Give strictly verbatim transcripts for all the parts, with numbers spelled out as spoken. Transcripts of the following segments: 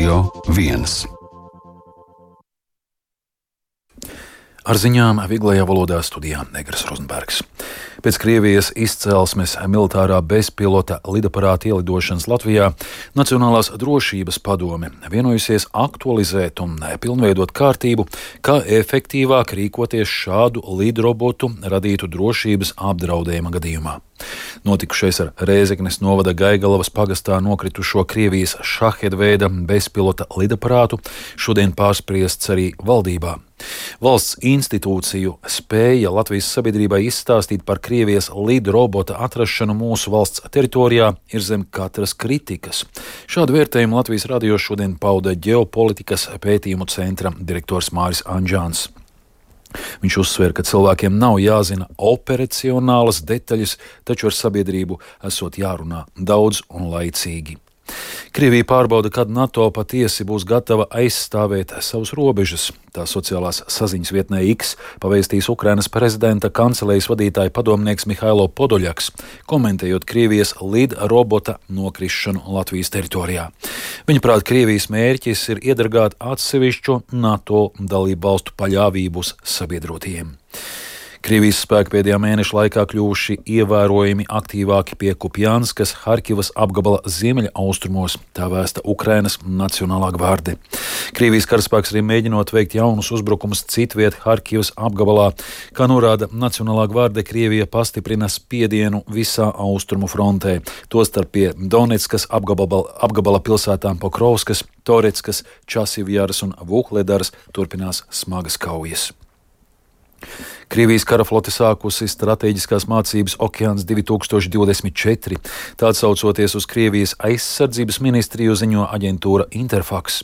Radio viens. Ar ziņām vieglajā valodā studijā Negras Rozenbergs. Pēc Krievijas izcelsmes militārā bezpilota lidaparāta ielidošanas Latvijā Nacionālās drošības padome vienojusies aktualizēt un pilnveidot kārtību, kā efektīvāk rīkoties šādu lidrobotu radītu drošības apdraudējuma gadījumā. Notikušais ar Rēzeknes novada Gaigalavas pagastā nokritušo Krievijas šaheda veida bezpilota lidaparātu šodien pārspriests arī valdībā. Valsts institūciju spēja Latvijas sabiedrībai izstāstīt par Krievijas lidrobota atrašanu mūsu valsts teritorijā ir zem katras kritikas. Šādu vērtējumu Latvijas radio šodien pauda ģeopolitikas pētījumu centra direktors Māris Anģāns. Viņš uzsver, ka cilvēkiem nav jāzina operacionālas detaļas, taču ar sabiedrību esot jārunā daudz un laicīgi. Krievija pārbauda, kad NATO patiesi būs gatava aizstāvēt savus robežas. Tā sociālās saziņas vietnē X pavēstīs Ukrainas prezidenta kancelejas vadītāja padomnieks Mihailo Podoļaks, komentējot Krievijas lidrobota nokrišanu Latvijas teritorijā. Viņaprāt, Krievijas mērķis ir iedragāt atsevišķu NATO dalību valstu paļāvību uz sabiedrotajiem. Krievijas spēki pēdējā mēneša laikā kļuvuši ievērojami aktīvāki pie Kupjanskas, Harkivas apgabala ziemeļa austrumos, tā vēsta Ukrainas Nacionālā gvarde. Krievijas karaspēks arī mēģinot veikt jaunus uzbrukumus citviet Harkivas apgabalā. Kā norāda Nacionālā gvarde, Krievija pastiprina spiedienu visā austrumu frontē, tostarp pie Donetskas apgabala, apgabala pilsētām Pokrovskas, Toretskas, Časivjaras un Vuhledaras turpinās smagas kaujas. Krievijas karaflote sākusi stratēģiskās mācības Okeāns divi tūkstoši divdesmit četri. Tā atsaucoties uz Krievijas aizsardzības ministriju, ziņo aģentūra Interfax.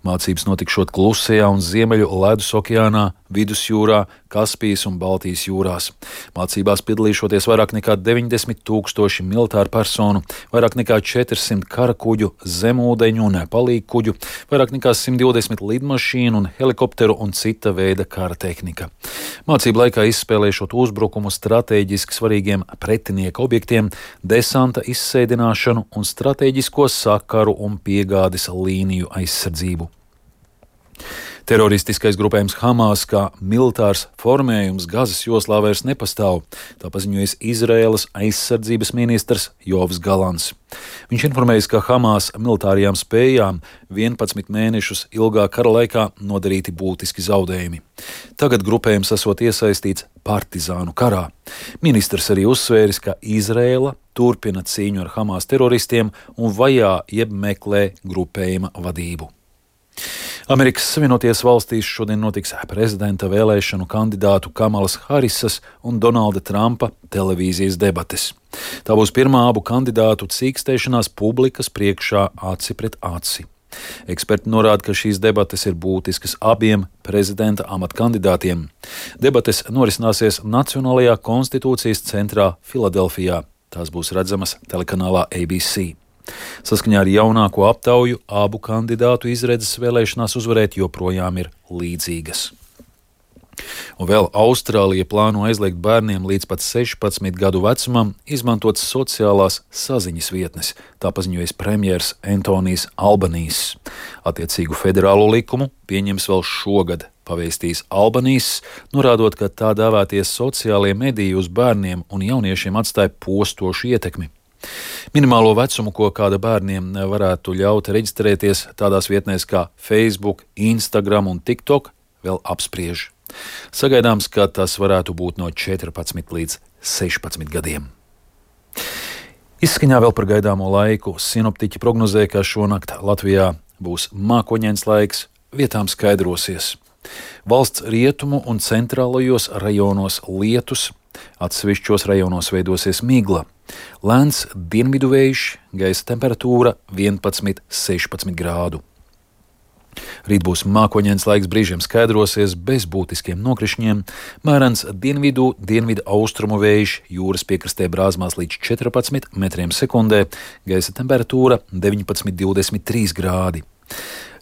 Mācības notikšot Klusajā un Ziemeļu Ledus okeānā, Vidusjūrā, Kaspijas un Baltijas jūrās. Mācībās piedalīšoties vairāk nekā deviņdesmit tūkstoši militāru personu, vairāk nekā četrsimt karakuģu, zemūdeņu un palīgkuģu, vairāk nekā simt divdesmit lidmašīnu un helikopteru un cita veida kara tehnika. Mācību laikā izspēlēšot uzbrukumu stratēģiski svarīgiem pretinieka objektiem, desanta izsēdināšanu un stratēģisko sakaru un piegādes līniju aizsardzību. Teroristiskais grupējums Hamas kā militārs formējums Gazas joslā vairs nepastāv, tā paziņojas Izraēlas aizsardzības ministrs Jovs Galants. Viņš informējis, ka Hamas militārajām spējām vienpadsmit mēnešus ilgā kara laikā nodarīti būtiski zaudējumi. Tagad grupējums esot iesaistīts partizānu karā. Ministrs arī uzsvēris, ka Izraēla turpina cīņu ar Hamas teroristiem un vajā jeb meklē grupējuma vadību. Amerikas Savienotajās valstīs šodien notiks prezidenta vēlēšanu kandidātu Kamalas Harisas un Donalda Trumpa televīzijas debates. Tā būs pirmā abu kandidātu cīkstēšanās publikas priekšā aci pret aci. Eksperti norāda, ka šīs debates ir būtiskas abiem prezidenta amata kandidātiem. Debates norisināsies Nacionālajā konstitūcijas centrā Filadelfijā. Tās būs redzamas telekanālā A B C. Saskaņā ar jaunāko aptauju abu kandidātu izredzes vēlēšanās uzvarēt joprojām ir līdzīgas. Un vēl Austrālija plāno aizliegt bērniem līdz pat sešpadsmit gadu vecumam izmantot sociālās saziņas vietnes, tā paziņojas premjers Antonijs Albanīss. Attiecīgu federālo likumu pieņems vēl šogad, pavēstīs Albanīss, norādot, ka tā dēvētie sociālie mediji uz bērniem un jauniešiem atstāja postošu ietekmi. Minimālo vecumu, ko kāda bērniem varētu ļaut reģistrēties tādās vietnēs kā Facebook, Instagram un TikTok, vēl apspriež. Sagaidāms, ka tas varētu būt no četrpadsmit līdz sešpadsmit gadiem. Izskaņā vēl par gaidāmo laiku. Sinoptiķi prognozē, ka šonakt Latvijā būs mākoņains laiks, vietām skaidrosies. Valsts rietumu un centrālajos rajonos lietus, atsevišķos rajonos veidosies migla. Lēns dienvidu vējš, gaisa temperatūra vienpadsmit līdz sešpadsmit grādu. Rīt būs mākoņains laiks, brīžiem skaidrosies bez būtiskiem nokrišņiem, mērens dienvidu, dienvidu austrumu vējš, jūras piekrastē brāzmās līdz četrpadsmit metriem sekundē, gaisa temperatūra deviņpadsmit līdz divdesmit trīs grādi.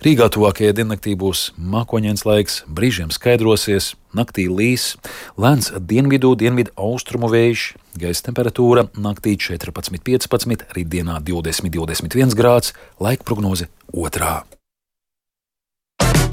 Rīgā tuvākajā diennaktī būs mākoņains laiks, brīžiem skaidrosies, naktī līs, lēns dienvidu, dienvidu austrumu vējš, gaisa temperatūra naktī četrpadsmit līdz piecpadsmit, rītdienā divdesmit līdz divdesmit viens grāds, laika prognoze otrā.